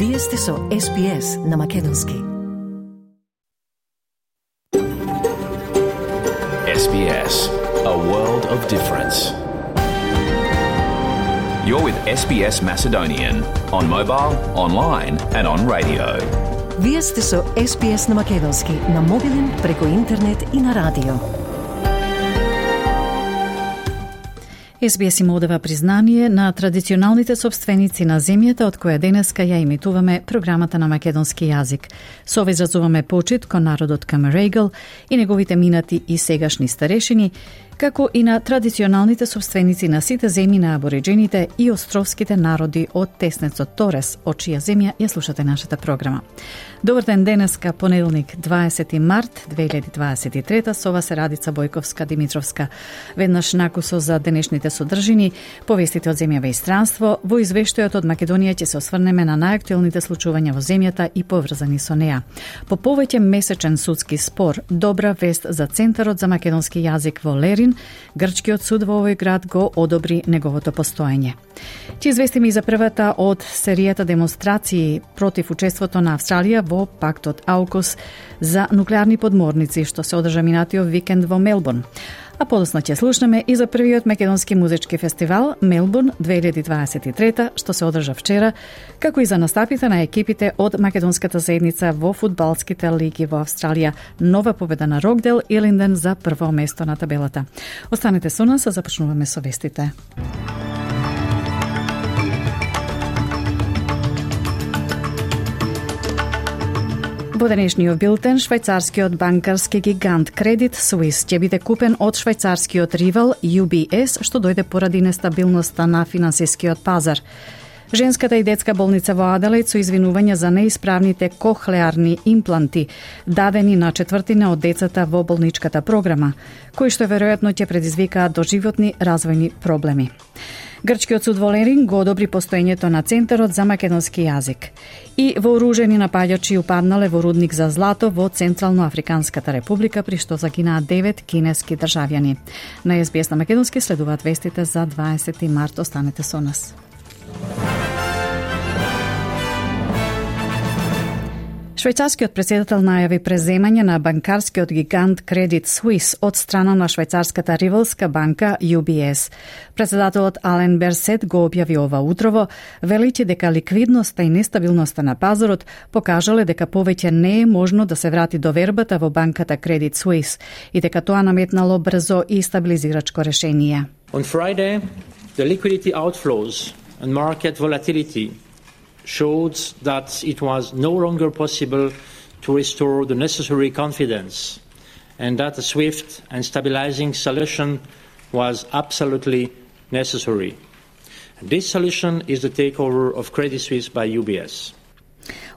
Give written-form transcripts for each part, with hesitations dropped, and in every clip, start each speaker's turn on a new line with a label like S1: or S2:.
S1: Вие сте со SBS на Македонски.
S2: SBS, a world of difference. You're with SBS Macedonian on mobile, online and on radio.
S1: Вие сте со SBS на Македонски на мобилен, преку интернет и на радио.
S3: SBS им одава признание на традиционалните собственици на земјата од која денеска ја имитуваме програмата на македонски јазик. Со ова изразуваме почит кон народот Камерегал и неговите минати и сегашни старешини, како и на традиционалните собственици на сите земји на абориджените и островските народи од теснецот Торес, од чија земја ја слушате нашата програма. Добар ден денеска, понеделник, 20 март 2023, со вас е Радица Бојковска-Димитровска. Веднаш накусо за денешните содржини, повестите од земјава и странство, во извештајот од Македонија ќе се осврнеме на најактуелните случувања во земјата и поврзани со неа. По повеќе месечен судски спор, добра вест за Центарот за македонски јазик во Лерин, грчкиот суд во овој град го одобри неговото постоење. Ќе известиме и за првата од серијата демонстрации против учеството на Австралија во пактот AUKUS за нуклеарни подморници, што се одржа минатиот викенд во Мелбурн. А подоцна ќе слушнеме и за првиот македонски музички фестивал Мелбурн 2023, што се одржа вчера, како и за настапите на екипите од македонската заедница во фудбалските лиги во Австралија, нова победа на Рокдел и Линден за прво место на табелата. Останете со нас, а започнуваме со вестите. Во денешниот билтен, швајцарскиот банкарски гигант Credit Suisse ќе биде купен од швајцарскиот ривал UBS, што дојде поради нестабилноста на финансискиот пазар. Женската и детска болница во Аделаид со извинувања за неисправните кохлеарни импланти, дадени на четвртина од децата во болничката програма, кои што веројатно ќе предизвикаат доживотни развојни проблеми. Грчкиот суд во Лерин го одобри постоењето на Центарот за македонски јазик. И вооружени напаѓачи упаднале во рудник за злато во Централно-Африканската република, при што загинаа 9 кинески државјани. На SBS на македонски следуваат вестите за 20 март. Останете со нас. Швајцарскиот председател најави преземање на банкарскиот гигант Credit Suisse од страна на швајцарската ривалска банка UBS. Председателот Ален Берсет го објави ова утрово, велејќи дека ликвидноста и нестабилноста на пазарот покажале дека повеќе не е можно да се врати довербата во банката Credit Suisse и дека тоа наметнало брзо и стабилизирачко решение.
S4: On Friday, the liquidity outflows and market volatility showed that it was no longer possible to restore the necessary confidence and that a swift and stabilizing solution was absolutely necessary. And this solution is the takeover of Credit Suisse by UBS.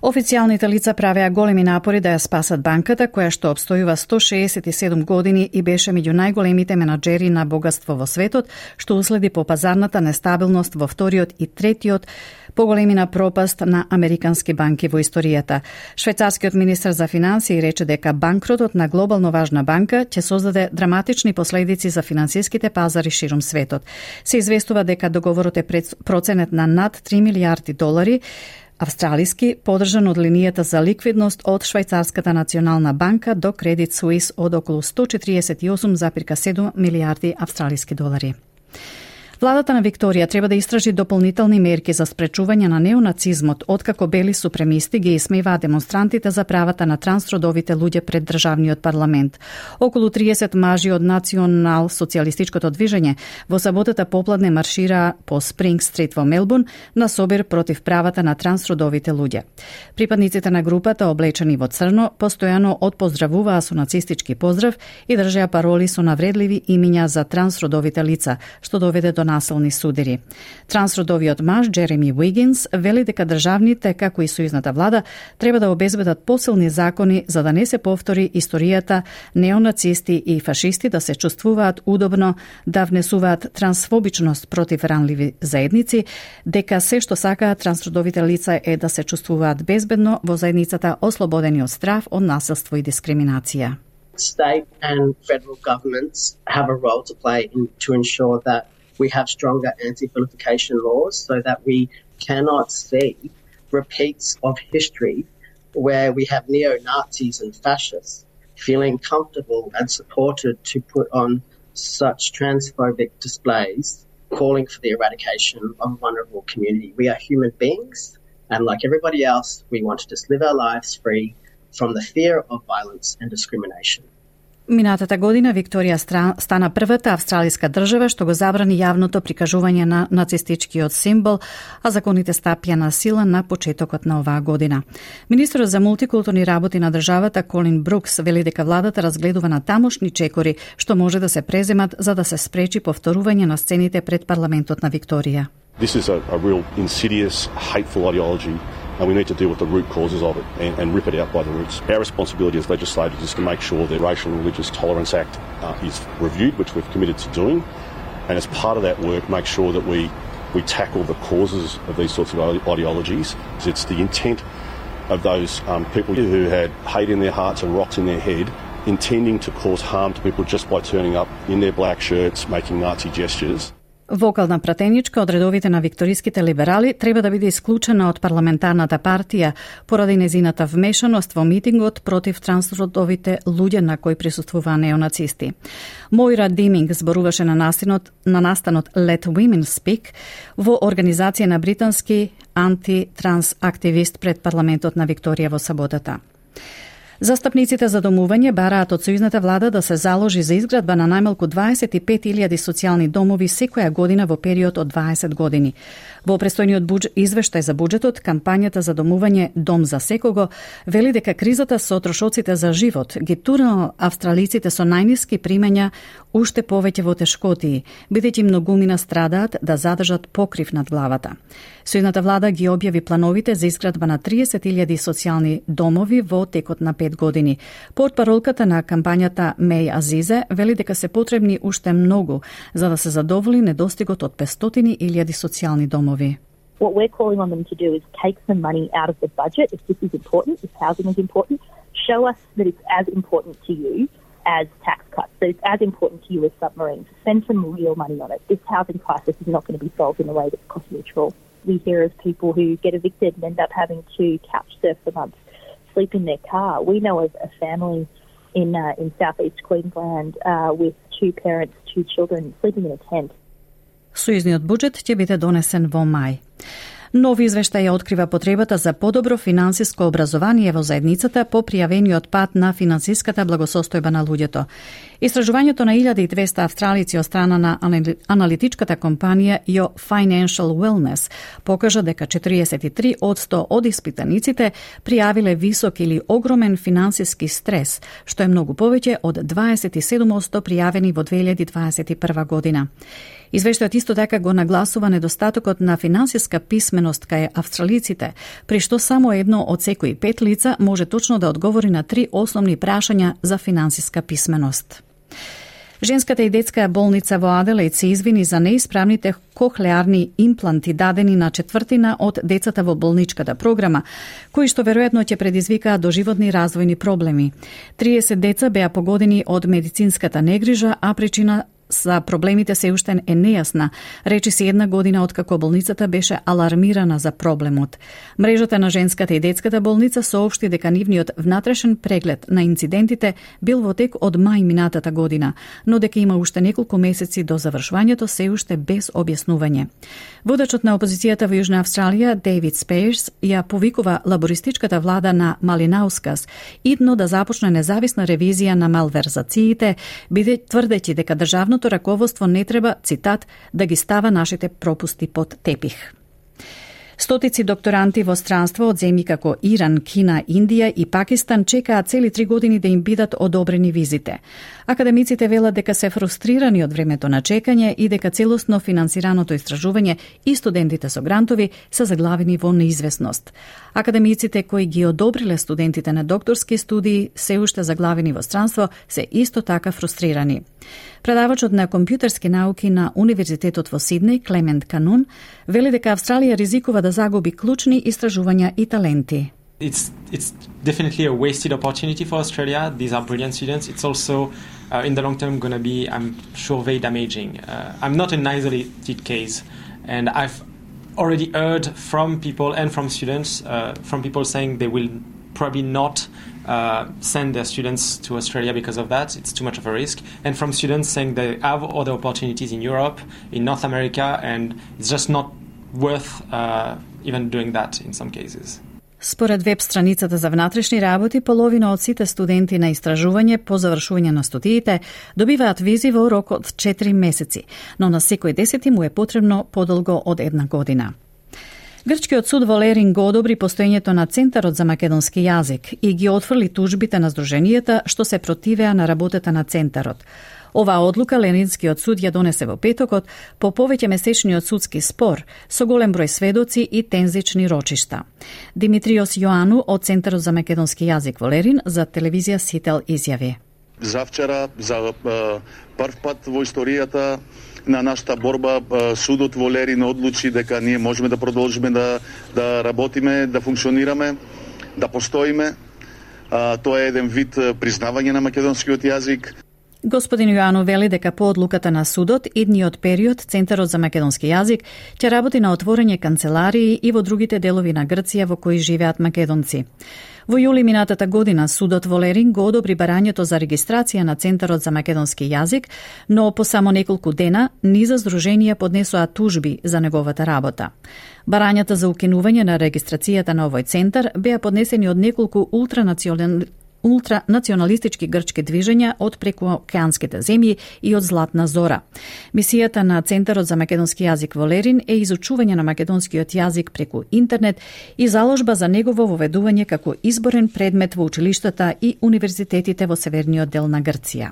S3: Официјалните лица правеа големи напори да ја спасат банката, која што обстојува 167 години и беше меѓу најголемите менаџери на богатство во светот, што уследи по пазарната нестабилност во вториот и третиот поголемина пропаст на американски банки во историјата. Швајцарскиот министер за финансии рече дека банкротот на глобално важна банка ќе создаде драматични последици за финансиските пазари ширум светот. Се известува дека договорот е проценет на над 3 милијарди долари австралиски, подржан од линијата за ликвидност од Швајцарската национална банка до Credit Suisse од околу 148,7 милијарди австралиски долари. Владата на Викторија треба да истражи дополнителни мерки за спречување на неонацизмот, откако бели супремисти ги исмеваат демонстрантите за правата на трансродовите луѓе пред државниот парламент. Околу 30 мажи од национал-социјалистичкото движење во саботата попладне маршираа по Спринг Стрит во Мелбурн на собир против правата на трансродовите луѓе. Припадниците на групата, облечени во црно, постојано отпоздравуваа со нацистички поздрав и држеа пароли со навредливи имиња за трансродовите лица, што доведе до насилни судири. Трансродовиот маж Джереми Уигинс вели дека државните, како и сојузната влада, треба да обезбедат посилни закони за да не се повтори историјата неонацисти и фашисти да се чувствуваат удобно, да внесуваат трансфобичност против ранливи заедници, дека се што сакаат трансродовите лица е да се чувствуваат безбедно во заедницата, ослободени од страф, од насилство и дискриминација.
S5: State and federal governments have a role to play to ensure that we have stronger anti-vilification laws so that we cannot see repeats of history where we have neo-Nazis and fascists feeling comfortable and supported to put on such transphobic displays calling for the eradication of a vulnerable community. We are human beings, and like everybody else, we want to just live our lives free from the fear of violence and discrimination.
S3: Минатата година Викторија стана првата австралиска држава што го забрани јавното прикажување на нацистичкиот символ, а законите стапија на сила на почетокот на оваа година. Министерот за мултикултурни работи на државата Колин Брукс вели дека владата разгледува на тамошни чекори што може да се преземат за да се спречи повторување на сцените пред парламентот на Викторија.
S6: This is a real insidious, hateful ideology, and we need to deal with the root causes of it and rip it out by the roots. Our responsibility as legislators is to make sure the Racial and Religious Tolerance Act is reviewed, which we've committed to doing, and as part of that work, make sure that we tackle the causes of these sorts of ideologies. It's the intent of those people who had hate in their hearts and rocks in their head, intending to cause harm to people just by turning up in their black shirts, making Nazi gestures.
S3: Вокална пратеничка од редовите на викториските либерали треба да биде исклучена од парламентарната партија поради незината вмешаност во митингот против трансродовите луѓе на кои присуствуваа неонацисти. Моира Диминг зборуваше на настанот Let Women Speak во организација на британски анти-транс активист пред парламентот на Викторија во саботата. Застапниците за домување бараат од сојузната влада да се заложи за изградба на најмалку 25.000 социјални домови секоја година во период од 20 години. Во престојниот извештај за буџетот, кампањата за домување Дом за секого вели дека кризата со трошоците за живот ги тура австралиците со најниски примања уште повеќе во тешкотии, бидејќи многумина страдаат да задржат покрив над главата. Сојузната влада ги објави плановите за изградба на 30.000 социјални домови во текот на 5 години. Портпаролката на кампањата Меј Азизе вели дека се потребни уште многу за да се задоволи недостигот од 500.000 социјални домови.
S7: What we're calling on them to do is take some money out of the budget if this is important, if housing is important, show us that it's as important to you as tax cuts, that it's as important to you as submarines. Spend some real money on it. This housing crisis is not going to be solved in a way that's cost neutral. We hear of people who get evicted and end up having to couch surf for months, sleep in their car. We know of a family in southeast Queensland with 2 parents, 2 children sleeping in a tent.
S3: Сојузниот буџет ќе биде донесен во мај. Нови извештај открива потребата за подобро финансиско образование во заедницата по пријавениот пат на финансиската благосостојба на луѓето. Истражувањето на 1200 австралици од страна на аналитичката компанија Your Financial Wellness покажа дека 43% од испитаниците пријавиле висок или огромен финансиски стрес, што е многу повеќе од 27% пријавени во 2021 година. Извештајот исто така го нагласува недостатокот на финансиска писменост кај австралиците, при што само едно од секои 5 лица може точно да одговори на 3 основни прашања за финансиска писменост. Женската и детска болница во Аделаид се извини за неисправните кохлеарни импланти дадени на 1/4 од децата во болничката програма, кои што веројатно ќе предизвикаат доживотни развојни проблеми. 30 деца беа погодени од медицинската негрижа, а причина за проблемите се уште е нејасна, речи се 1 година откако болницата беше алармирана за проблемот. Мрежата на женската и детската болница соопшти дека нивниот внатрешен преглед на инцидентите бил во тек од мај минатата година, но дека има уште неколку месеци до завршувањето се уште без објаснување. Водачот на опозицијата во Јужна Австралија, Дейвид Спејрс, ја повикува лабористичката влада на Малинаускас идно да започне независна ревизија на малверзациите, тврдејќи дека државното раководство не треба, цитат, да ги става нашите пропусти под тепих. Стотици докторанти во странство од земји како Иран, Кина, Индија и Пакистан чекаат цели 3 години да им бидат одобрени визите. Академиците велат дека се фрустрирани од времето на чекање и дека целосно финансираното истражување и студентите со грантови се заглавени во неизвестност. Академиците кои ги одобриле студентите на докторски студии се уште заглавени во странство се исто така фрустрирани. Предавачот на компјутерски науки на Универзитетот во Сиднеј, Клемент Канун, вели дека Австралија ризикува да загуби клучни истражувања и таленти.
S8: It's definitely a wasted opportunity for Australia. These are brilliant students. It's also, in the long term, going to be, I'm sure, very damaging. I'm not an isolated case, and I've already heard from people and from students, from people saying they will probably not send their students to Australia because of that. It's too much of a risk. And from students saying they have other opportunities in Europe, in North America, and it's just not worth even doing that in some cases.
S3: Според веб страницата за внатрешни работи, половина од сите студенти на истражување по завршување на студиите добиваат визи во рок од 4 месеци, но на секој 10 му е потребно подолго од 1 година. Грчкиот суд во Лерин го одобри постоењето на Центарот за македонски јазик и ги отфрли тужбите на здруженијата што се противеа на работата на Центарот. Оваа одлука Ленинскиот суд ја донесе во петокот по повеќе месечниот судски спор со голем број сведоци и тензични рочишта. Димитриос Јоану од Центарот за македонски јазик во Лерин за телевизија Сител изјави:
S9: Завчера за прв пат во историјата на нашата борба судот во Лерин одлучи дека ние можеме да продолжиме да работиме, да функционираме, да постоиме. Тоа е еден вид признавање на македонскиот јазик.
S3: Господин Јоану вели дека по одлуката на судот, идниот период Центарот за македонски јазик ќе работи на отворење канцеларии и во другите делови на Грција во кои живеат македонци. Во јули минатата година судот во Лерин го одобри барањето за регистрација на Центарот за македонски јазик, но по само неколку дена низа здруженија поднесоа тужби за неговата работа. Барањата за укинување на регистрацијата на овој центар беа поднесени од неколку ултранационалистички грчки движења од прекуокеанските земји и од Златна Зора. Мисијата на Центарот за македонски јазик во Лерин е изучување на македонскиот јазик преку интернет и заложба за негово воведување како изборен предмет во училиштата и универзитетите во северниот дел на Грција.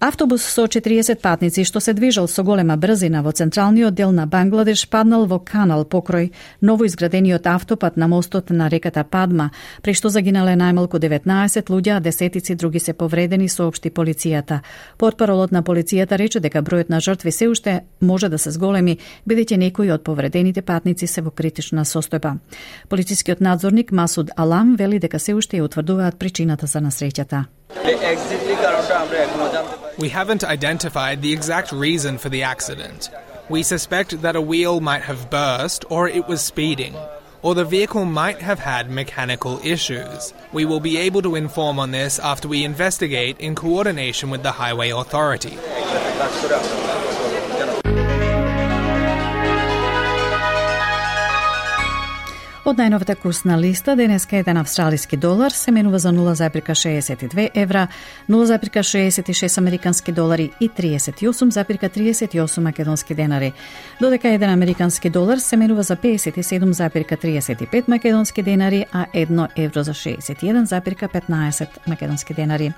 S3: Автобус со 40 патници што се движел со голема брзина во централниот дел на Бангладеш паднал во канал покрај новоизградениот автопат на мостот на реката Падма, при што загинале најмалку 19 луѓе, а десетици други се повредени, соопшти полицијата. Портпаролот на полицијата рече дека бројот на жртви се уште може да се зголеми, бидејќи некои од повредените патници се во критична состојба. Полицискиот надзорник Масуд Алам вели дека се уште ја утврдуваат причината за насреќата.
S10: We haven't identified the exact reason for the accident. We suspect that a wheel might have burst or it was speeding, or the vehicle might have had mechanical issues. We will be able to inform on this after we investigate in coordination with the Highway Authority.
S3: Од најновата курсна листа, денеска еден австралиски долар се менува за 0,62 евра, 0,66 американски долари и 38,38 македонски денари, додека еден американски долар се менува за 57,35 македонски денари, а 1 евро за 61,15 македонски денари.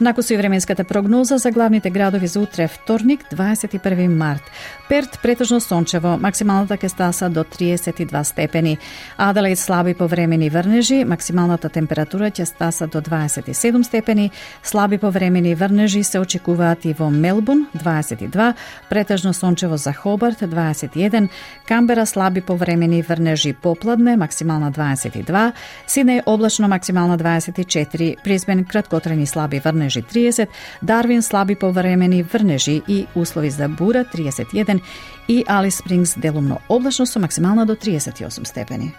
S3: Накусо и временската прогноза за главните градови за утре вторник, 21 март. Перт претежно сончево, максималната ќе стаса до 32 степени. Аделаид слаби повремени врнежи, максималната температура ќе стаса до 27 степени. Слаби повремени врнежи се очекуваат и во Мелбурн 22, претежно сончево за Хобарт 21, Камбера слаби повремени врнежи попладне, максимална 22, Сиднеј облачно, максимална 24, Брисбен краткотрени слаби врнежи 30, Дарвин слаби повремени врнежи и услови за бура 31 и Алис Спрингс делумно облачно со максимална до 38 степени.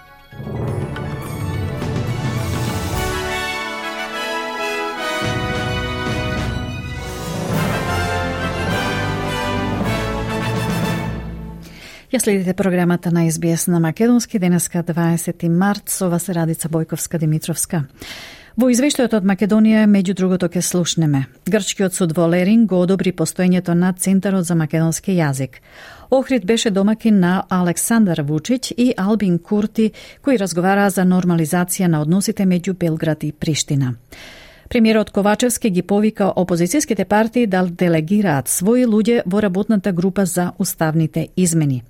S3: Ја следите програмата на СБС на македонски, денеска 20 март, со вас е Радица Бојковска-Димитровска. Во извештајот од Македонија, меѓу другото, ќе слушнеме. Грчкиот суд во Лерин го одобри постоењето на Центарот за македонски јазик. Охрид беше домакин на Александар Вучиќ и Албин Курти, кои разговараа за нормализација на односите меѓу Белград и Приштина. Премиерот Ковачевски ги повика опозицијските партии да делегираат своји луѓе во работната група за уставните измени.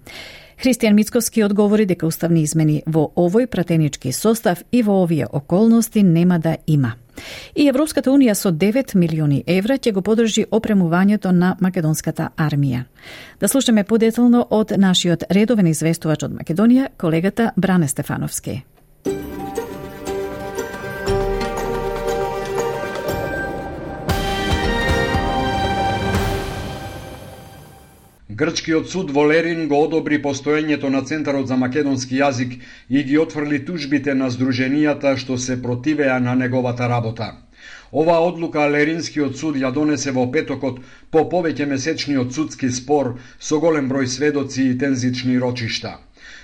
S3: Христијан Мицковски одговори дека уставни измени во овој пратенички состав и во овие околности нема да има. И Европската Унија со 9 милиони евра ќе го подржи опремувањето на македонската армија. Да слушаме подетално од нашиот редовен известувач од Македонија, колегата Бране Стефановски.
S11: Грчкиот суд во Лерин го одобри постоењето на Центарот за македонски јазик и ги отфрли тужбите на здруженијата што се противеа на неговата работа. Оваа одлука Леринскиот суд ја донесе во петокот по повеќе месечниот судски спор со голем број сведоци и тензични рочишта.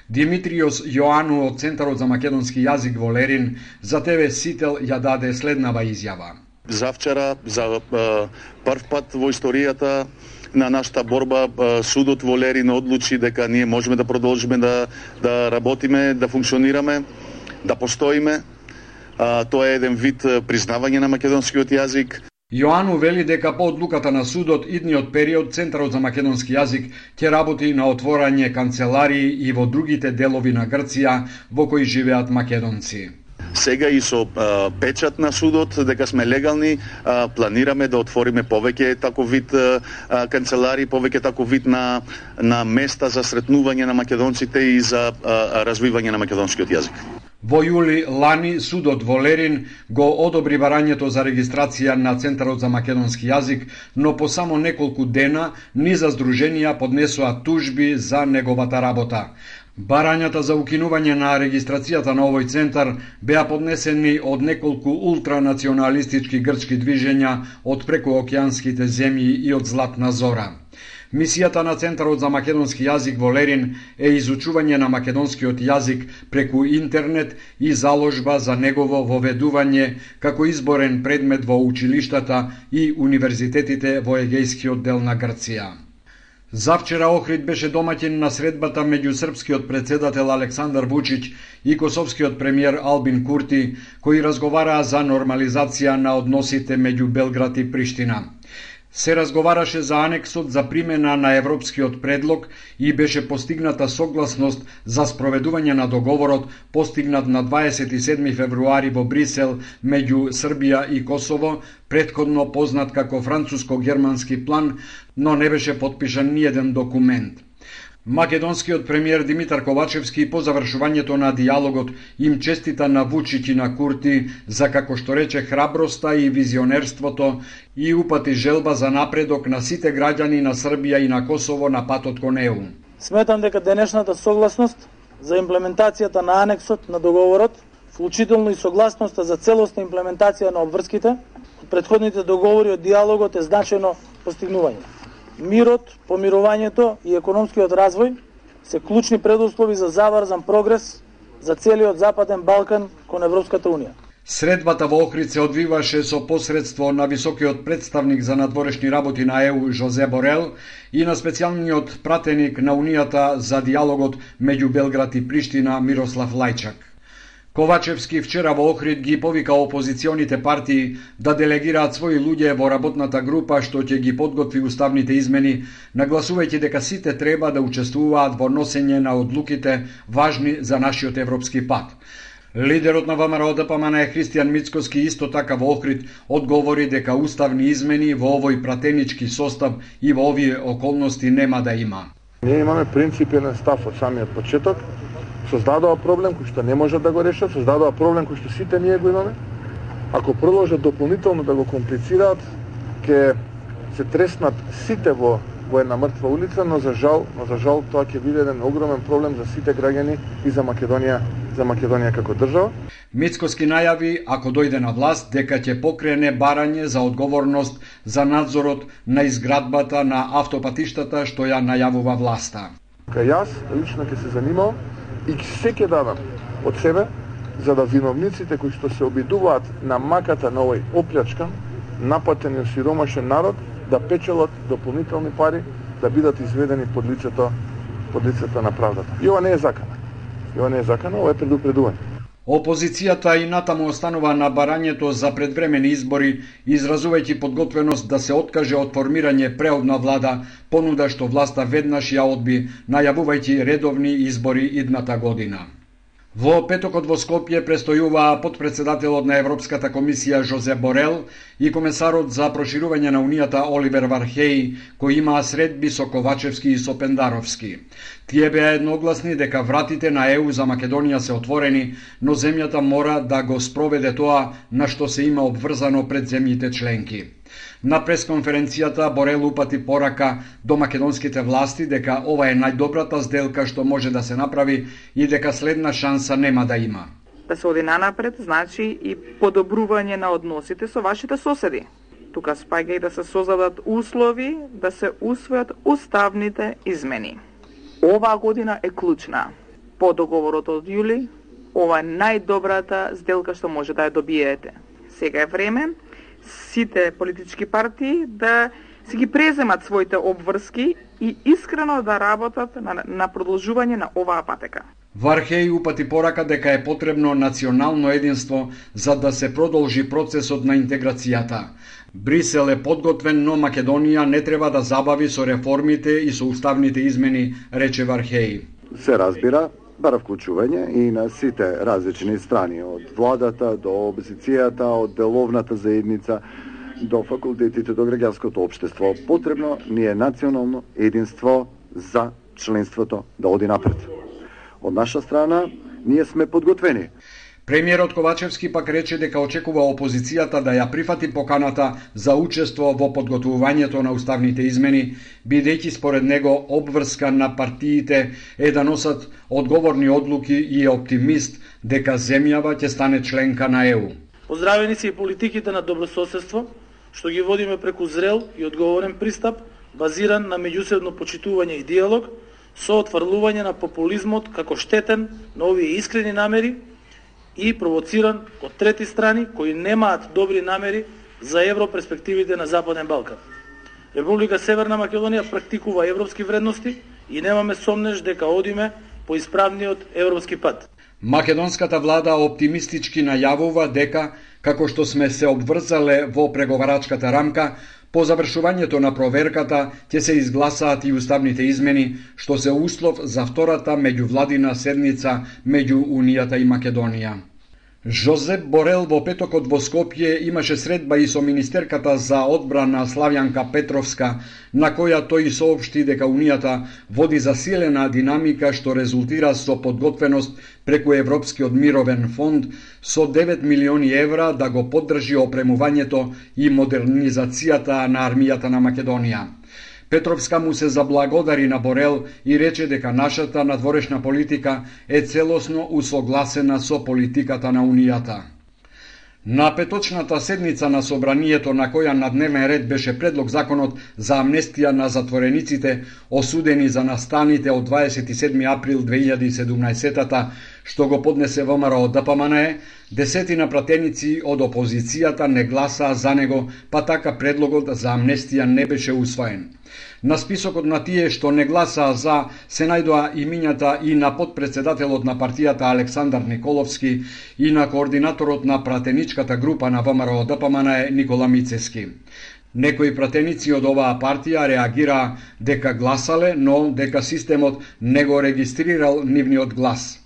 S11: Димитриос Јоану од Центарот за македонски јазик во Лерин за ТВ Сител ја даде следнава изјава.
S9: Завчера, за прв пат во историјата на нашата борба, судот во Лерин одлучи дека ние можеме да продолжиме да работиме, да функционираме, да постоиме. Тоа е еден вид признавање на македонскиот јазик.
S11: Јоану вели дека по одлуката на судот идниот период Центарот за македонски јазик ќе работи на отворање канцеларии и во другите делови на Грција во кои живеат македонци.
S9: Сега и со печат на судот дека сме легални, планираме да отвориме повеќе таков вид канцелари, повеќе таков вид на места за сретнување на македонците и за развивање на македонскиот јазик.
S11: Во јули лани судот во Лерин го одобри барањето за регистрација на Центарот за македонски јазик, но по само неколку дена низа здруженија поднесоа тужби за неговата работа. Барањата за укинување на регистрацијата на овој центар беа поднесени од неколку ултранационалистички грчки движења од прекуокеанските земји и од Златна Зора. Мисијата на Центарот за македонски јазик во Лерин е изучување на македонскиот јазик преку интернет и заложба за негово воведување како изборен предмет во училиштата и универзитетите во егејскиот дел на Грција. Завчера Охрид беше домаќин на средбата меѓу српскиот председател Александар Вучиќ и косовскиот премиер Албин Курти, кои разговараа за нормализација на односите меѓу Белград и Приштина. Се разговараше за анексот за примена на европскиот предлог и беше постигната согласност за спроведување на договорот постигнат на 27 февруари во Брисел меѓу Србија и Косово, претходно познат како француско-германски план, но не беше подпишан ниеден документ. Македонскиот премиер Димитар Ковачевски по завршувањето на диалогот им честита на Вучиќ и на Курти за, како што рече, храброста и визионерството и упати желба за напредок на сите граѓани на Србија и на Косово на патот кон ЕУ.
S12: Сметам дека денешната согласност за имплементацијата на анексот на договорот, вклучително и согласноста за целосна имплементација на обврските од претходните договори од диалогот е значајно постигнување. Мирот, помирувањето и економскиот развој се клучни предуслови за заврзан прогрес за целиот Западен Балкан кон Европската Унија.
S11: Средбата во Охрид се одвиваше со посредство на високиот представник за надворешни работи на ЕУ Жозе Борел и на специјалниот пратеник на Унијата за диалогот меѓу Белград и Приштина Мирослав Лајчак. Ковачевски вчера во Охрид ги повика опозиционите партии да делегираат своји луѓе во работната група што ќе ги подготви уставните измени, нагласувајќи дека сите треба да учествуваат во носење на одлуките важни за нашиот европски пат. Лидерот на ВМРО ДПМН Христијан Мицкоски исто така во Охрид одговори дека уставни измени во овој пратенички состав и во овие околности нема да има.
S13: Ние имаме принципен став од самиот почеток. Создадоа проблем кој што не можат да го решат, создадоа проблем кој што сите ние го имаме. Ако продолжат дополнително да го комплицираат, ќе се треснат сите во една мртва улица, но за жал тоа ќе биде еден огромен проблем за сите граѓани и за Македонија како држава.
S11: Мицкоски најави, ако дојде на власт, дека ќе покрене барање за одговорност за надзорот на изградбата на автопатиштата што ја најавува власта.
S13: Јас лично ќе се занимавам и се ќе дадам од себе за да виновниците кои што се обидуваат на маката на овој оплячкан, напатен и осиромашен народ да печелат дополнителни пари да бидат изведени под лицето на правдата. И ова не е закана, ова е предупредување.
S11: Опозицијата и натаму останува на барањето за предвремени избори, изразувајќи подготвеност да се откаже од формирање преодна влада, понуда што власта веднаш ја одби, најавувајќи редовни избори идната година. Во петокот во Скопје престојуваа подпредседателот на Европската комисија Жозе Борел и комесарот за проширување на Унијата Оливер Вархеј, кои имаа средби со Ковачевски и со Пендаровски. Тие беа едногласни дека вратите на ЕУ за Македонија се отворени, но земјата мора да го спроведе тоа на што се има обврзано пред земјите членки. На пресконференцијата Борел упати порака до македонските власти дека ова е најдобрата сделка што може да се направи и дека следна шанса нема да има.
S14: Да се оди нанапред значи и подобрување на односите со вашите соседи. Тука спаѓа и да се создадат услови да се усвојат уставните измени. Оваа година е клучна. По договорот од јули, ова е најдобрата сделка што може да ја добиете. Сега е време сите политички партии да си ги преземат своите обврски и искрено да работат на продолжување на оваа патека.
S11: Вархеј упати порака дека е потребно национално единство за да се продолжи процесот на интеграцијата. Брисел е подготвен, но Македонија не треба да забави со реформите и со уставните измени, рече Вархеј.
S15: Се разбира, бара вклучување и на сите различни страни, од владата до опозицијата, од деловната заедница, до факултетите, до граѓанското општество. Потребно ни е национално единство за членството да оди напред. Од наша страна, ние сме подготвени.
S11: Премиерот Ковачевски пак рече дека очекува опозицијата да ја прифати поканата за учество во подготвувањето на уставните измени, бидејќи според него обврска на партиите е да носат одговорни одлуки и е оптимист дека земјава ќе стане членка на ЕУ.
S12: Поздравени се и политиките на добрососедство, што ги водиме преку зрел и одговорен пристап, базиран на меѓусебно почитување и диалог, со отфрлување на популизмот како штетен на овие искрени намери и провоциран од трети страни кои немаат добри намери за европерспективите на Западен Балкан. Република Северна Македонија практикува европски вредности и немаме сомнеж дека одиме по исправниот европски пат.
S11: Македонската влада оптимистички најавува дека, како што сме се обврзале во преговарачката рамка, по завршувањето на проверката ќе се изгласаат и уставните измени, што се услов за втората меѓувладина седница меѓу Унијата и Македонија. Жозеп Борел во петокот во Скопје имаше средба и со министерката за одбрана Славјанка Петровска, на која тој соопшти дека Унијата води засилена динамика што резултира со подготвеност преку Европскиот мировен фонд со 9 милиони евра да го поддржи опремувањето и модернизацијата на армијата на Македонија. Петровска му се заблагодари на Борел и рече дека нашата надворешна политика е целосно усогласена со политиката на Унијата. На петочната седница на Собранието, на која на дневен ред беше предлог законот за амнестија на затворениците осудени за настаните од 27 април 2017-та, што го поднесе ВМРО ДПМНЕ, десетина пратеници од опозицијата не гласаа за него, па така предлогот за амнестија не беше усвоен. На списокот на тие што не гласаа за се најдоа имињата и на подпредседателот на партијата Александар Николовски и на координаторот на пратеничката група на ВМРО ДПМНЕ Никола Мицески. Некои пратеници од оваа партија реагираа дека гласале, но дека системот не го регистрирал нивниот глас.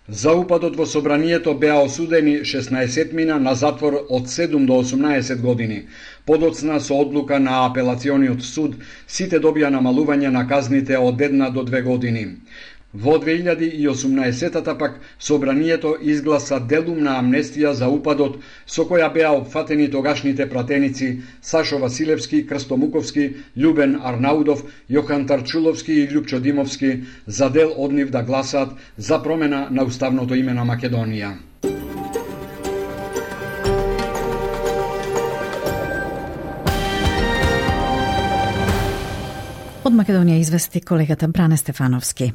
S11: За упадот во собранието беа осудени 16 мина на затвор од 7 до 18 години. Подоцна со одлука на апелациониот суд сите добија намалување на казните од 1 до 2 години. Во 2018-та пак собранието изгласа делумна амнестија за упадот со која беа опфатени тогашните пратеници Сашо Василевски, Крсто Муковски, Љубен Арнаудов, Јохан Тарчуловски и Љупчо Димовски, за дел од нив да гласаат за промена на уставното име на Македонија.
S3: Од Македонија извести колегата Бране Стефановски.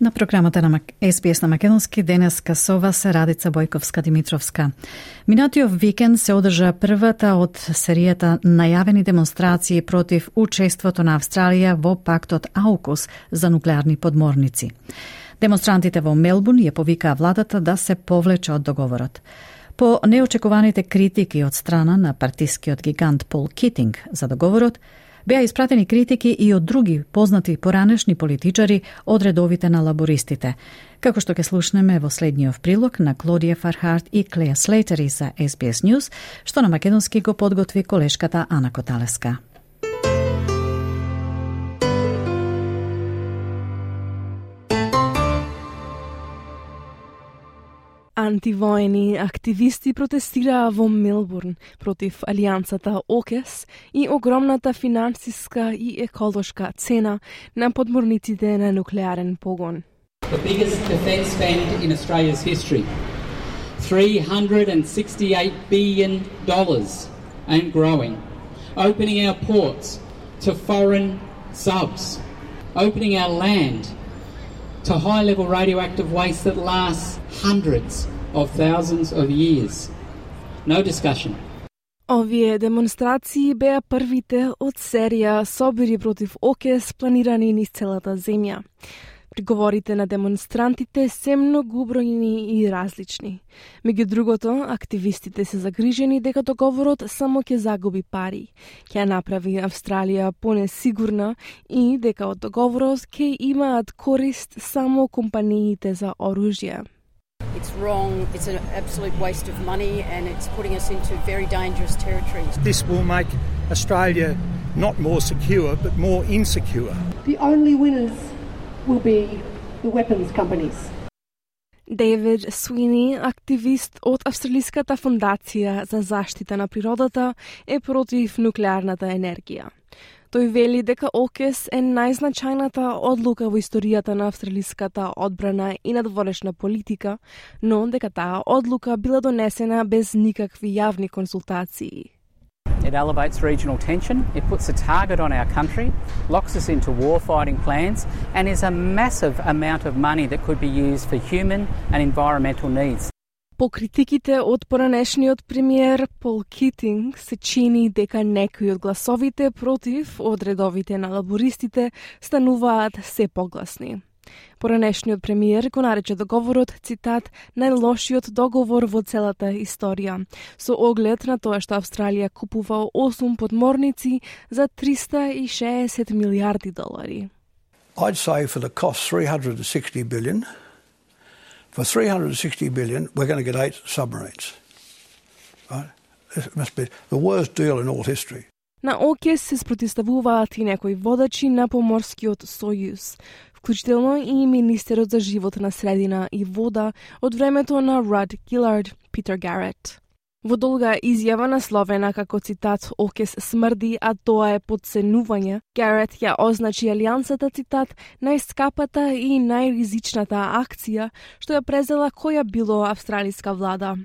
S3: На програмата на СПС на Македонски денеска со вас Радица Бојковска-Димитровска. Минатиот викенд се одржа првата од серијата најавени демонстрации против учеството на Австралија во пактот АУКУС за нуклеарни подморници. Демонстрантите во Мелбурн ја повикаа владата да се повлече од договорот. По неочекуваните критики од страна на партискиот гигант Пол Китинг за договорот, беа испратени критики и од други познати поранешни политичари од редовите на лабористите, како што ќе слушнеме во следниот прилог на Клодија Фархарт и Клеја Слейтери за SBS News, што на македонски го подготви колешката Ана Коталеска.
S16: Антивоени активисти протестираа во Мелбурн против алијансата ОКЕС и огромната финансиска и еколошка цена на подморниците на нуклеарен погон.
S17: The biggest defence spend in Australia's history, $368 billion and growing. Opening our ports to foreign subs, opening our land to high-level radioactive waste that lasts hundreds of thousands of years. No discussion.
S16: Овие демонстрации беа првите од серија собири против ОКЕС планирани низ целата земја. Приговорите на демонстрантите се многу бројни и различни. Меѓу другото, активистите се загрижени дека договорот само ќе загуби пари, ќе направи Австралија понесигурна и дека од договорот ќе имаат корист само компаниите за оружје.
S18: It's wrong, it's an absolute waste of money and it's putting us into very dangerous territories.
S19: This will make Australia not more secure but more insecure.
S20: The only winners will be the weapons companies.
S16: Дейвид Суини, активист од Австралиската фондација за заштита на природата, е против нуклеарната енергија. Тој вели дека ОКЕС е најзначајната одлука во историјата на австралиската одбрана и надворешна политика, но дека таа одлука била донесена без никакви јавни консултации.
S21: It elevates regional tension, it puts a target on our country, locks us into war-fighting plans, and is a massive amount of money that could be used for human and environmental needs.
S16: По критиките од поранешниот премиер Пол Китинг се чини дека некои од гласовите против од редовите на лабористите стануваат се погласни. Поранешниот премиер го нарече договорот, цитат, најлошиот договор во целата историја, со оглед на тоа што Австралија купува 8 подморници за $360 милиарди.
S22: I'd say for the cost $360 billion. For $360 billion, we're going to get 8 submarines. Right? It must be the worst deal in all history.
S16: На ОКЕС се спротивставуваат и некои водачи на поморскиот сојуз, вклучително и министерот за животна средина и вода од времето на Руд Гилард, Питер Гарет. Во долга изјава насловена како цитат ОКЕС смрди, а тоа е подценување, Гарет ја означи алијансата, цитат, најскапата и најризичната акција што ја презела која било австралиска влада.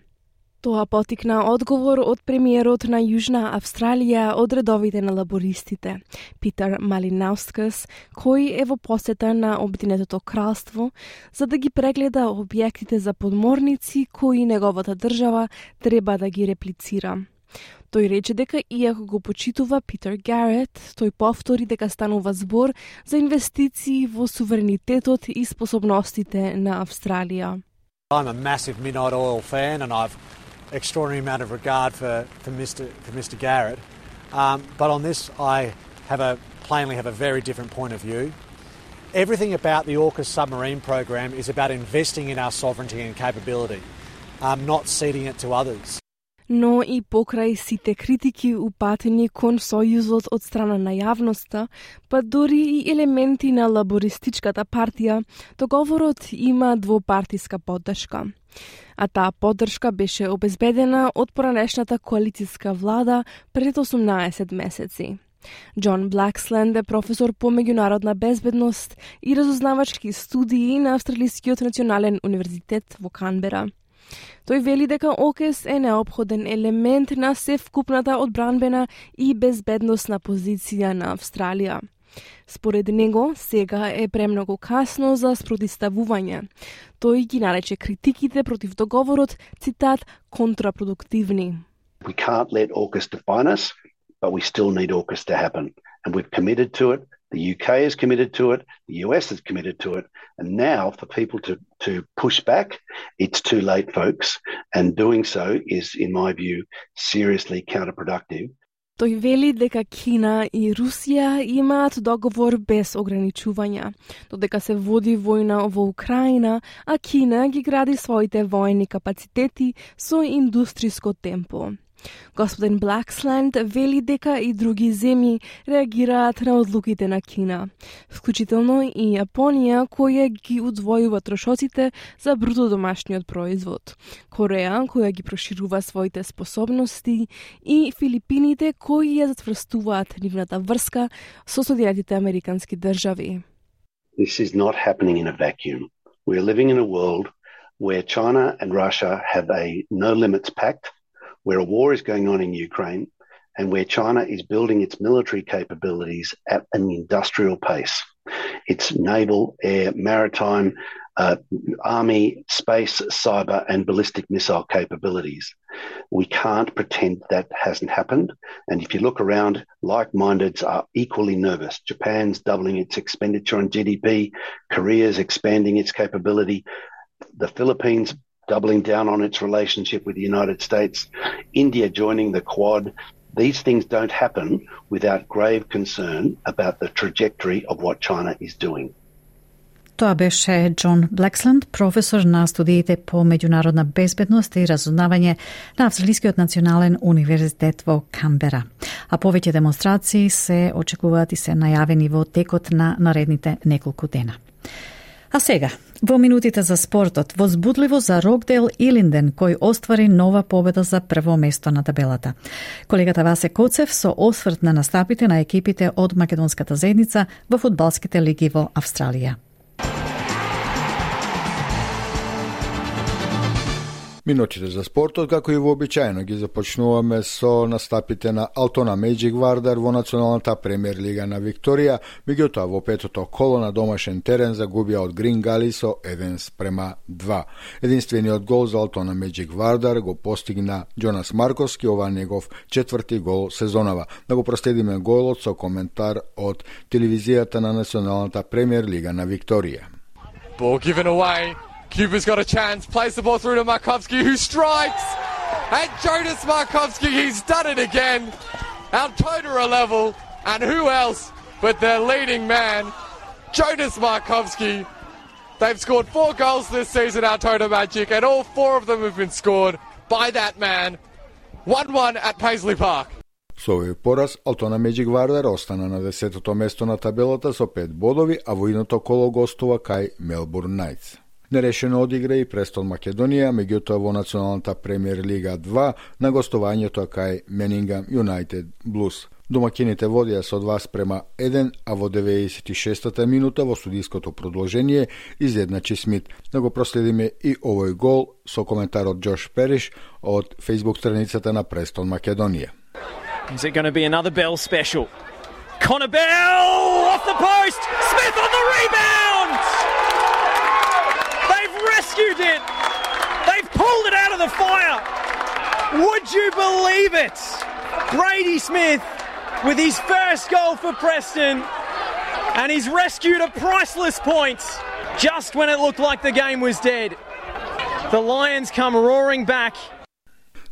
S16: Тоа потикна одговор од премиерот на Јужна Австралија од редовите на лабористите, Питер Малинаускас, кој е во посета на Обединетото кралство за да ги прегледа објектите за подморници кои неговата држава треба да ги реплицира. Тој рече дека иако го почитува Питер Гарет, тој повтори дека станува збор за инвестиции во суверенитетот и способностите на Австралија.
S23: I'm a massive Midnight Oil fan and I've extraordinary amount of regard for Mr. Garrett, but on this I plainly have a very different point of view. Everything about the AUKUS submarine program is about investing in our sovereignty and capability, not ceding it to others.
S16: Но и покрај сите критики упатени кон Сојузот од страна на јавноста, па дори и елементи на лабористичката партија, договорот има двопартиска поддршка. А таа поддршка беше обезбедена од поранешната коалицијска влада пред 18 месеци. Џон Блаксленд е професор по меѓународна безбедност и разузнавачки студии на Австралискиот национален универзитет во Канбера. Тој вели дека ОКЕС е неопходен елемент на севкупната одбранбена и безбедносна позиција на Австралија. Според него, сега е премногу касно за спротивставување. Тој ги нарече критиките против договорот, цитат, контрапродуктивни.
S24: We can't let AUKUS define us, but we still need AUKUS to happen. And we've committed to it. The UK is committed to it. The US is committed to it. And now for people to push back, it's too late, folks. And doing so is, in my view, seriously counterproductive.
S16: Тој вели дека Кина и Русија имаат договор без ограничувања, додека се води војна во Украина, а Кина ги гради своите воени капацитети со индустриско темпо. Господин Блаксленд вели дека и други земји реагираат на одлуките на Кина, вклучително и Јапонија, која ги удвојува трошоците за бруто домашниот производ, Кореја, која ги проширува своите способности, и Филипините, кои ја затврстуваат нивната врска со Соединетите Американски држави.
S24: This is not happening in a vacuum. We are living in a world where China and Russia have a no-limits pact, where a war is going on in Ukraine, and where China is building its military capabilities at an industrial pace. Its naval, air, maritime, army, space, cyber, and ballistic missile capabilities. We can't pretend that hasn't happened. And if you look around, like-mindeds are equally nervous. Japan's doubling its expenditure on GDP. Korea's expanding its capability. The Philippines doubling down on its relationship with the United States. India joining the Quad. These things don't happen without grave concern about the trajectory of what China is doing.
S3: Тоа беше Џон Блаксленд, професор на студиите по меѓународна безбедност и разузнавање на Австралискиот национален универзитет во Камбера. А повеќе демонстрации се очекуваат и се најавени во текот на наредните неколку дена. А сега, во минутите за спортот, возбудливо за Рокдейл Илинден, кој оствари нова победа за прво место на табелата. Колегата Васе Коцев со осврт на настапите на екипите од македонската заедница во фудбалските лиги во Австралија.
S1: Минутите за спортот, како и вообичаено, ги започнуваме со настапите на Алтона Magic Вардар во националната премиер лига на Викторија, меѓутоа во петото коло на домашен терен загубија од Грин Гали со 1:2. Единствениот гол за Алтона Magic Вардар го постигна Джонас Марковски, ова негов четврти гол сезонава. Да го проследиме голот со коментар од телевизијата на националната премиер лига на Викторија.
S2: Ball given away. Cuba's got a chance, plays the ball through to Markovski, who strikes! And Jonas Markovski, he's done it again! Our Totara level, and who else but their leading man, Jonas Markovski. They've scored 4 goals this season, our Totara Magic, and all 4 of them have been scored by that man. 1-1 at Paisley Park.
S1: Со овој пораз, Алтона Magic Вардар остана на 10-то место на табелата со 5 бодови, а во иното коло гостува кај Мелбурн Найтс. Нерешено одигра и Престон Македонија, меѓутоа во националната премиер лига 2 на гостувањето кај Менингам Юнайтед Блус. Домакините водија со 2:1, а во 96-та минута во судиското продолжение изедначи Смит. Да го проследиме и овој гол со коментар од Джош Периш од Facebook страницата на Престон Македонија.
S4: Is it going to be another Bell special? Connor Bell off the post! Smith on the rebound! Rescued it! They've pulled it out of the fire! Would you believe it? Brady Smith with his first goal for Preston, and he's rescued a priceless point just when it looked like the game was dead. The Lions come roaring back.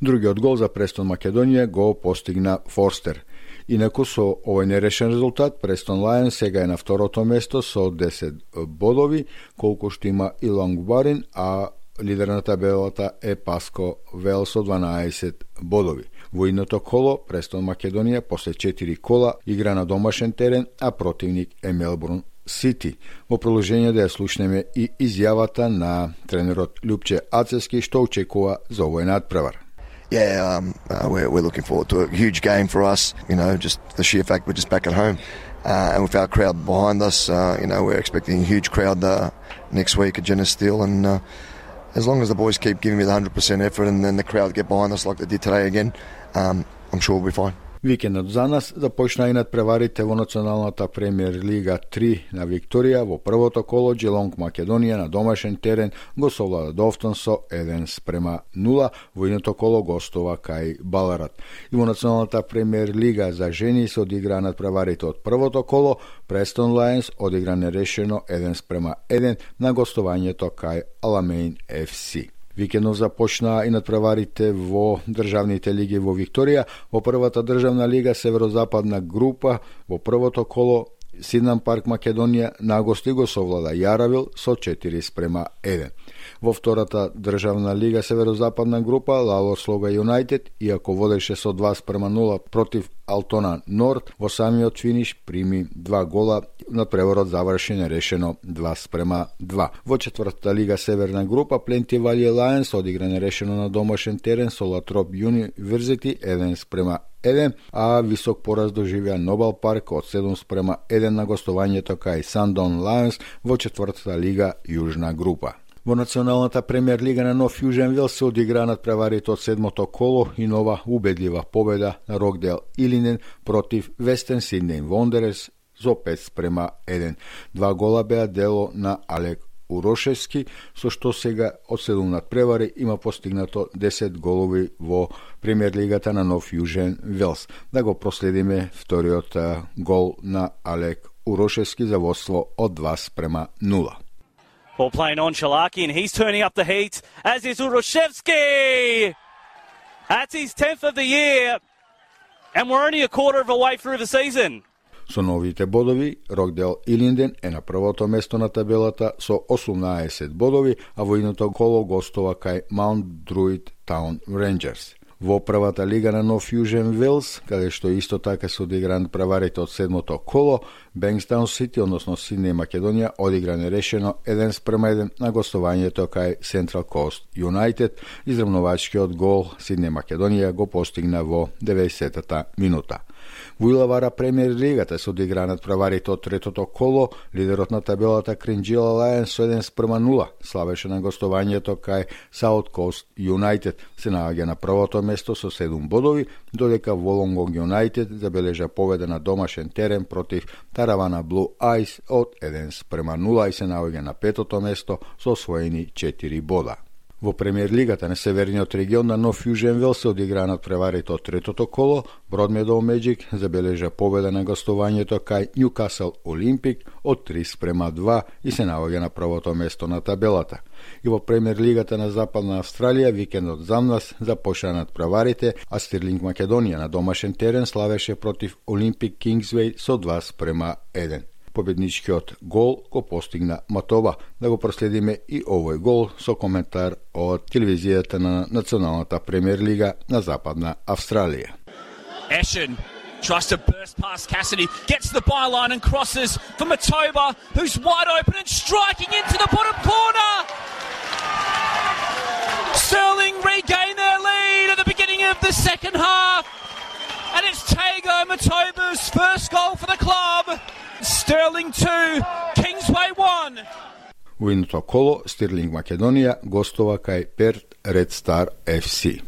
S1: Другиот гол за Престон Македонија го постигна Форстер. Инаку со овој нерешен резултат, Престон Лајон сега е на второто место со 10 бодови, колку што има и Лонгборин, а лидер на табелата е Паско Вел со 12 бодови. Во иното коло, Престон Македонија после 4 кола игра на домашен терен, а противник е Мелбурн Сити. Во продолжение да ја слушнеме и изјавата на тренерот Љупче Ацевски што очекува за овој надпревар.
S5: Yeah, we're looking forward to a huge game for us. You know, just the sheer fact we're just back at home, and with our crowd behind us, you know, we're expecting a huge crowd next week at Genesis Steel. And as long as the boys keep giving me the 100% effort, and then the crowd get behind us like they did today again, I'm sure we'll be fine.
S1: Викендот за нас започна и надпреварите во националната премиер лига 3 на Викторија. Во првото коло Джелонг Македонија на домашен терен го совлада Довтон со 1:0, во иното коло гостува кај Баларат. И во националната премиер лига за жени се одигра надпреварите од првото коло. Престон Лајонс одигра нерешено 1:1 на гостувањето кај Аламейн FC. Викендов започна и надпреварите во државните лиги во Викторија. Во првата државна лига Северозападна група во првото коло Сиднам Парк Македонија на гости го совлада Јаравил со 4:1. Во втората државна лига Северозападна група Лало Слога Юнайтед, иако водеше со 2:0 против Алтона Норд, во самиот финиш прими 2 гола, надпреворот заврши нерешено 2:2. Во четвртата лига Северна група Пленти Вали Лајонс одигра нерешено на домашен терен со Латроп Юниверзити 1:1, а висок пораз доживеа Нобел Парк од 7:1 на гостувањето кај Сандон Лајонс во четвртата лига Јужна група. Во националната премиер лига на Нов Јужен Велс се одигра надпреварите од седмото коло и нова убедлива победа на Рокдейл Илинен против Вестерн Сиднеј Вондерерс со 5:1. 2 гола беа дело на Алек Урошевски, со што сега од 7 надпревари има постигнато 10 голови во премиер лигата на Нов Јужен Велс. Да го проследиме вториот гол на Алек Урошевски за водство од 2:0.
S6: Ball playing on Shalaki, and he's turning up the heat, as is Uroshevsky! That's his 10th of the year, and we're only a quarter of a way through the season.
S1: Со новите бодови, Рокдейл Илинден е на првото место на табелата со 18 бодови, а во иното коло гостува кај Маунт Друид Таун Рейнџерс. Во првата лига на Нов Јужен Велс, каде што исто така се одигран праварите од седмото коло, Бенкстаун Сити, односно Сиднеј Македонија, одигра нерешено 1:1 на гостувањето кај Централ Кост Юнайтед. Изравнувачкиот гол Сиднеј Македонија го постигна во 90-та минута. Во Илавара премиер лигата се одигранат праварите од третото коло, лидерот на табелата Кринџила Лајонс со 1:0 славеше на гостувањето кај Саут Кост Юнайтед, се наоѓа на првото место со 7 бодови, додека Волонгонг Юнайтед забележа победа на домашен терен против Таравана Блу Айс од 1:0 и се наоѓа на петото место со освоени 4 бода. Во премиер лигата на Северниот регион на Нов Јужен Велс се одигранат преварите од третото коло, Бродмедоу Меджик забележа победа на гостувањето кај Нјукасл Олимпик од 3:2 и се наоѓа на првото место на табелата. И во премиер лигата на Западна Австралија викендот замнас започнаа преварите, а Стирлинг Македонија на домашен терен славеше против Олимпик Кингсвеј со 2:1. Победничкиот гол го постигна Матоба. Да го проследиме и овој гол со коментар од телевизијата на Националната премиер лига на Западна Австралија.
S7: Eshin tries to burst past Cassidy, gets the byline and crosses for Matoba, who's wide open and striking into the bottom corner. Stirling regain their lead at the beginning of the second half, and it's Tago Matoba's first goal for the club. Stirling 2, Kingsway 1.
S1: Во иното коло, Стирлинг Македонија гостува кај Перт Ред Стар FC.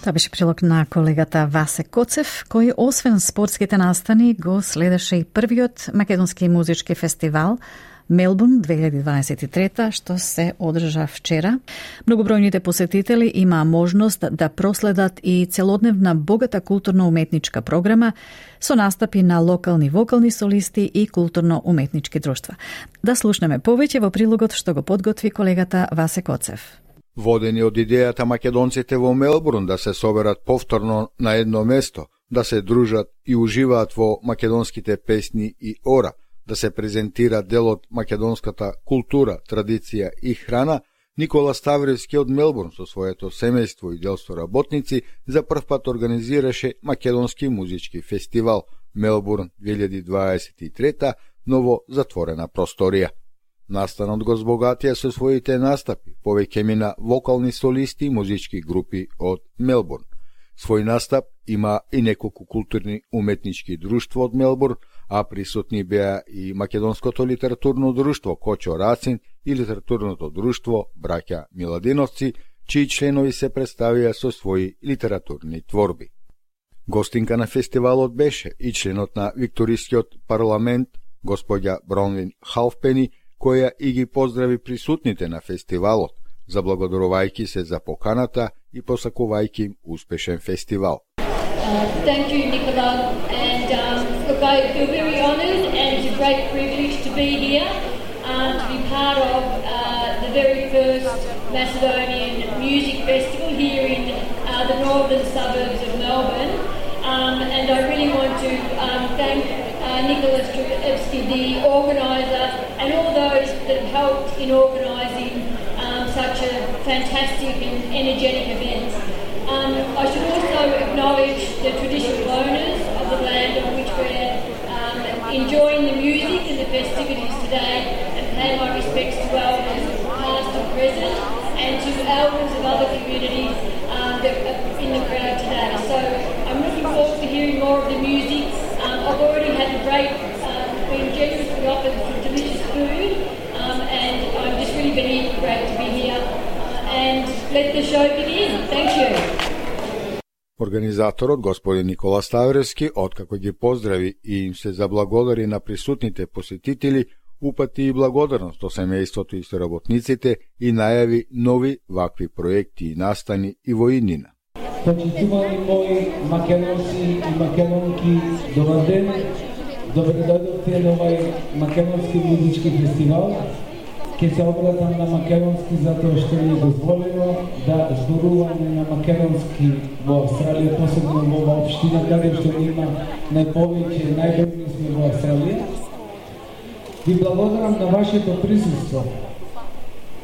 S3: Тоа беше прилог на колегата Васе Коцев, кој освен спортските настани го следеше и првиот македонски музички фестивал Мелбурн 2023, што се одржа вчера. Многобројните посетители имаа можност да проследат и целодневна богата културно-уметничка програма со настапи на локални вокални солисти и културно-уметнички друштва. Да слушнеме повеќе во прилогот што го подготви колегата Васе Коцев.
S1: Водени од идејата македонците во Мелбурн да се соберат повторно на едно место, да се дружат и уживаат во македонските песни и ора, да се презентира дел од македонската култура, традиција и храна, Никола Ставревски од Мелбурн со своето семејство и делство работници за прв пат организираше македонски музички фестивал Мелбурн 2023, ново затворена просторија. Настанот го збогатија со своите настапи, повеќе мина вокални солисти и музички групи од Мелбурн. Свој настап има и неколку културни уметнички друштва од Мелбурн, а присутни беа и Македонското литературно друштво Кочо Рацин и литературното друштво Браќа Миладиновци, чии членови се представија со своји литературни творби. Гостинка на фестивалот беше и членот на Викторискиот парламент, господја Бронвин Халфпени, која и ги поздрави присутните на фестивалот, заблагодарувајќи се за поканата и посакувајќи им успешен фестивал.
S20: Thank you, Nicola, and look, I feel very honoured, and it's a great privilege to be here, to be part of the very first Macedonian Music Festival here in the northern suburbs of Melbourne, and I really want to thank Nicholas Strevsky, the organiser, and all those that have helped in organising such a fantastic and energetic event. I should also acknowledge the traditional owners of the land on which we're enjoying the music and the festivities today, and pay my respects to elders past and present, and to elders of other communities that are in the crowd today. So I'm looking forward to hearing more of the music. I've already had a great, been generously offered some delicious food, and I'm just really been great to be here. And let the show begin. Thank you.
S1: Организаторот, господин Никола Ставрески, откако ги поздрави и им се заблагодари на присутните посетители, упати и благодарност до семејството и соработниците и најави нови вакви проекти и настани и во иднина.
S8: Почитувани мои македонци и македонки, добар ден, добре дојдовте на овај македонски музички фестивал. Ке се обратам на македонски затоа што ми е дозволено да зборуваме на македонски во Австралија, посебно во оваа општина каде што има најповеќе, најдобри сме во Австралија. Ви благодарам на вашето присуство.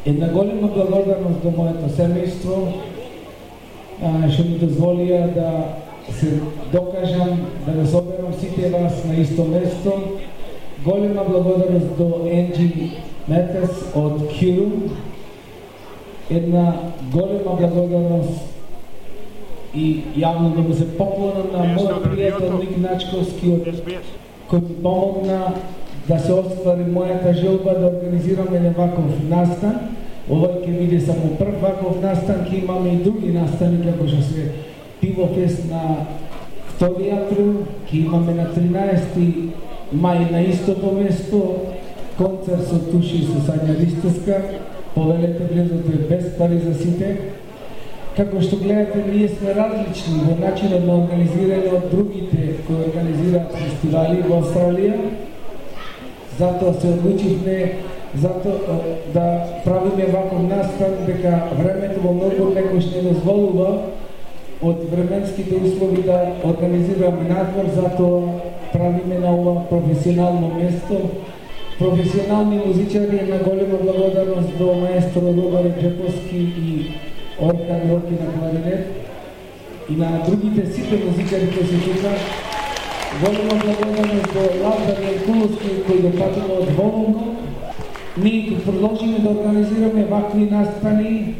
S8: Една голема благодарност до моето семејство, што ми дозволија да се докажам, да соберам сите вас на исто место. Голема благодарност до Енджи Метес од Киру. Една голема благодарност и јавно да му се поклонам на мојот пријател Ник Начковски, кој ми помогна да се оствари мојата желба да организирам еден ваков настан. Овој ќе биде само прв ваков настан, ќе имаме и други настани, како што се Пивофест на 2 април, ќе имаме на 13 мај на истото место концерт со Туши и со Сања Ристовска. Повелете влезото е без пари за сите. Како што гледате, ние сме различни во начинот на организирање од другите кои организираат фестивали во Австралија. Затоа се одлучивме да правиме ваков настан, дека времето во Мелбурн некојаш не дозволува од временските услови да организираме надвор, затоа правиме на ова професионално место. Професионални музичари, една голема благодарност до маестро Робар Джеповски и Оркан Роки на кларинет и на другите сите музичари кои се тука. Голема благодарност до Лазар Јанкуловски кој го патува од Волонго. Ние ќе продолжиме да организираме вакви настани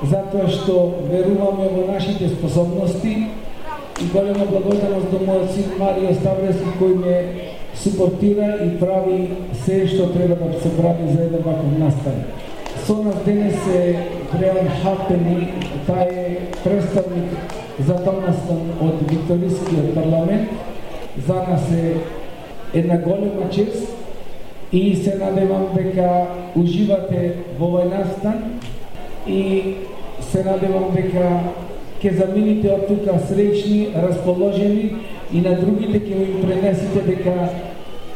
S8: затоа што веруваме во нашите способности и голема благодарност до мојот син Марио Ставрески кој ме супортира и прави се што треба да се прави за еден ваков настан. Со нас денес е Бреан Хапени, тај е представник за тој настан од Викторискиот парламент. За нас е една голема чест и се надевам дека уживате во овој настан и се надевам дека ќе замините од тука среќни, расположени и на другите ќе ви пренесите дека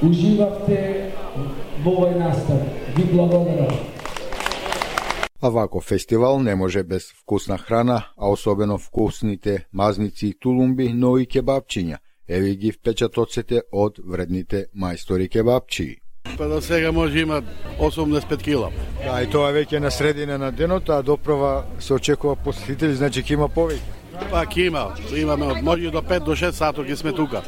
S8: уживавте во овој настан. Ви благодарам.
S1: А ваков фестивал не може без вкусна храна, а особено вкусните мазници и тулумби, но и кебапчиња. Еви ги впечатоците од вредните мајстори кебапчии.
S9: Па до сега може има 85 кила.
S1: Да, и тоа веќе на средина на денот, а доправа се очекува посетители, значи ќе има повеќе.
S9: Па ќе има, имаме од може до 5 до 6 сато ќе сме тука.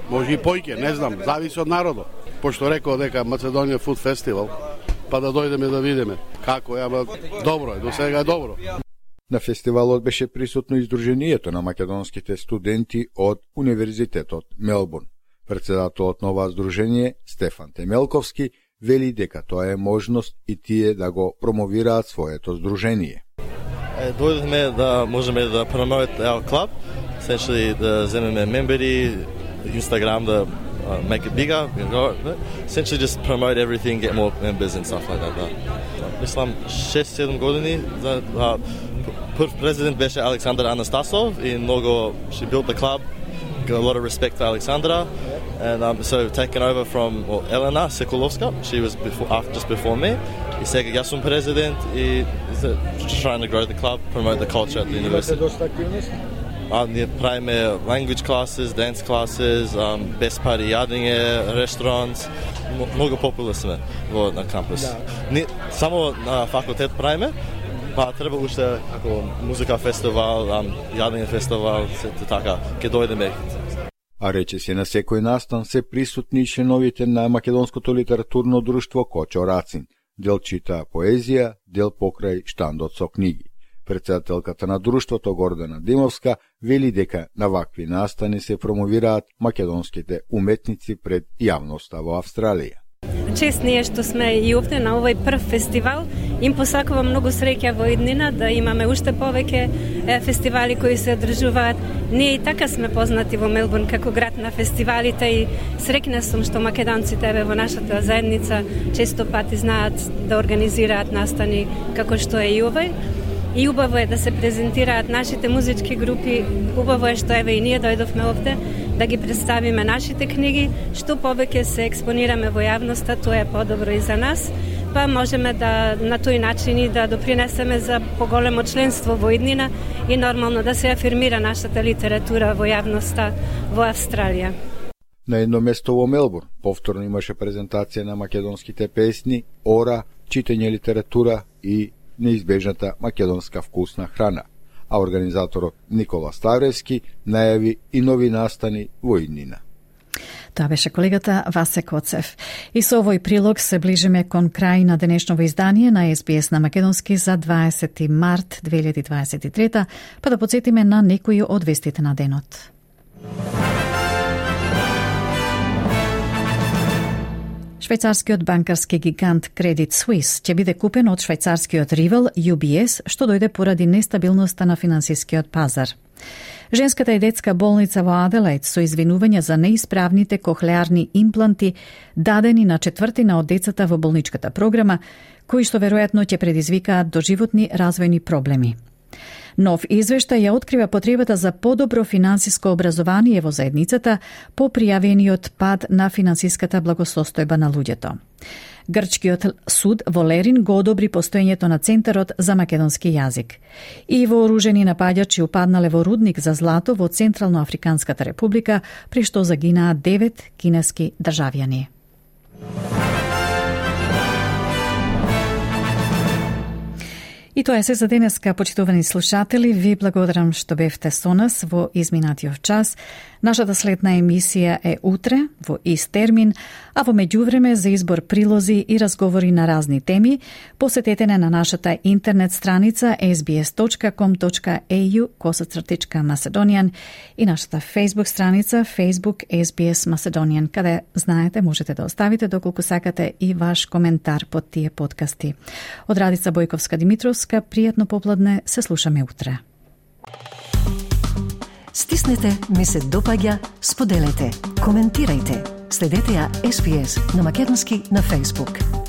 S9: Може и поиќе, не знам, зависи од народот. Пошто рекол дека Македонија Food Festival, па да дојдеме да видиме како е, ама добро е, до сега е добро.
S1: На фестивалот беше присутно издруженијето на македонските студенти од Универзитетот Мелбурн. Председателот на ова здружение, Стефан Темелковски, вели дека тоа е можност и тие да го промовираат своето здружение.
S10: Дојдовме да можеме да promote our club, essentially да земеме мембери, Instagram да make it bigger, essentially just promote everything, get more members and stuff like that. Мислам 6-7 години за прв президент беше Александър Анастасов и много she built the club. Got a lot of respect for Alexandra, and so taken over from Elena Sekulovska. She was just before me. И сега јас сум президент и just trying to grow the club, promote the culture at the university. ние правиме language classes, dance classes, best party јадење, restaurants. Многу популарни сме на кампус. Не само на факултет правиме, па треба уште како музика фестивал, јадење фестивал, сето така, ќе дојдеме.
S1: А рече се на секој настан се присутни членовите на Македонското литературно друштво Кочо Рацин. Дел чита поезија, дел покрај штандот со книги. Председателката на друштвото Гордана Димовска вели дека на вакви настани се промовираат македонските уметници пред јавноста во Австралија.
S12: Чест ние што сме и овде на овој прв фестивал. Им посакувам многу среќа во иднина, да имаме уште повеќе фестивали кои се одржуваат. Ние и така сме познати во Мелбурн како град на фестивалите и среќна сум што македонците во нашата заедница често пати знаат да организираат настани како што е и овој. И убаво е да се презентираат нашите музички групи, убаво е што еве и ние дојдовме овде да ги представиме нашите книги, што повеќе се експонираме во јавноста, тоа е подобро и за нас, па можеме да на тој начин и да допринесеме за поголемо членство во иднина и нормално да се афирмира нашата литература во јавноста во Австралија.
S1: На едно место во Мелбурн повторно имаше презентација на македонските песни, ора, читање литература и неизбежната македонска вкусна храна, а организаторот Никола Ставревски најави и нови настани во иднина.
S3: Тоа беше колегата Васе Коцев. И со овој прилог се ближиме кон крај на денешново издание на SBS на македонски за 20 март 2023, па да подсетиме на некои од вестите на денот. Швајцарскиот банкарски гигант Credit Suisse ќе биде купен од швајцарскиот ривал UBS, што дојде поради нестабилноста на финансискиот пазар. Женската и детска болница во Аделаид со извинувања за неисправните кохлеарни импланти дадени на четвртина од децата во болничката програма, кои што веројатно ќе предизвикаат доживотни развојни проблеми. Нов извештај ја открива потребата за подобро финансиско образование во заедницата по пријавениот пад на финансиската благосостојба на луѓето. Грчкиот суд во Лерин го одобри постоењето на Центарот за македонски јазик. И вооружени напаѓачи упаднале во рудник за злато во Централно-Африканската република, при што загинаа 9 кинески државјани. И тоа е се за денеска, почитувани слушатели. Ви благодарам што бевте со нас во изминатиот час. Нашата следна емисија е утре, во ист термин, а во меѓувреме за избор прилози и разговори на разни теми, посетете на нашата интернет страница sbs.com.au/Macedonian и нашата Facebook страница Facebook SBS Macedonian, каде, знаете, можете да оставите доколку сакате и ваш коментар под тие подкасти. Од Радица Бојковска-Димитровска, пријатно попладне, се слушаме утре.
S13: Стиснете, ми се допаѓа, споделете, коментирајте. Следете ја SBS на македонски на Facebook.